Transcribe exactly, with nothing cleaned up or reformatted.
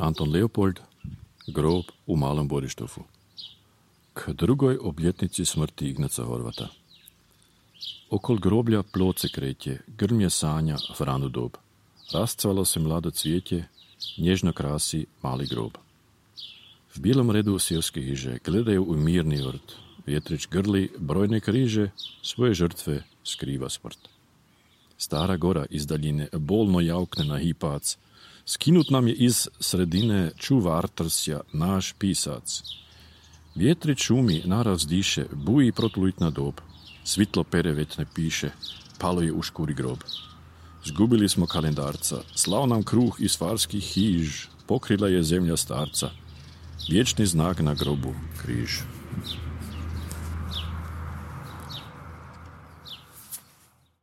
Anton Leopold, grob u Malom Borištovu. K drugoj obljetnici smrti Ignaca Horvata. Okol groblja ploce kretje, grmje sanja Franu dob. Rascvalo se mlado cvijeće, nježno krasi mali grob. V bijelom redu seoske hiže gledaju u mirni vrt. Vjetrić grli brojne križe, svoje žrtve skriva smrt. Stara gora iz daljine bolno jaukne na hipac. Skinut nam je iz sredine čuvar trsja naš pisac. Vjetrić šumi, naraz diše, buji protulitna dob. Svitlo pere već ne piše, palo je u škuri grob. Zgubili smo kalendarca, slao nam kruh iz farskih hiž, pokrila je zemlja starca. Vječni znak na grobu, križ.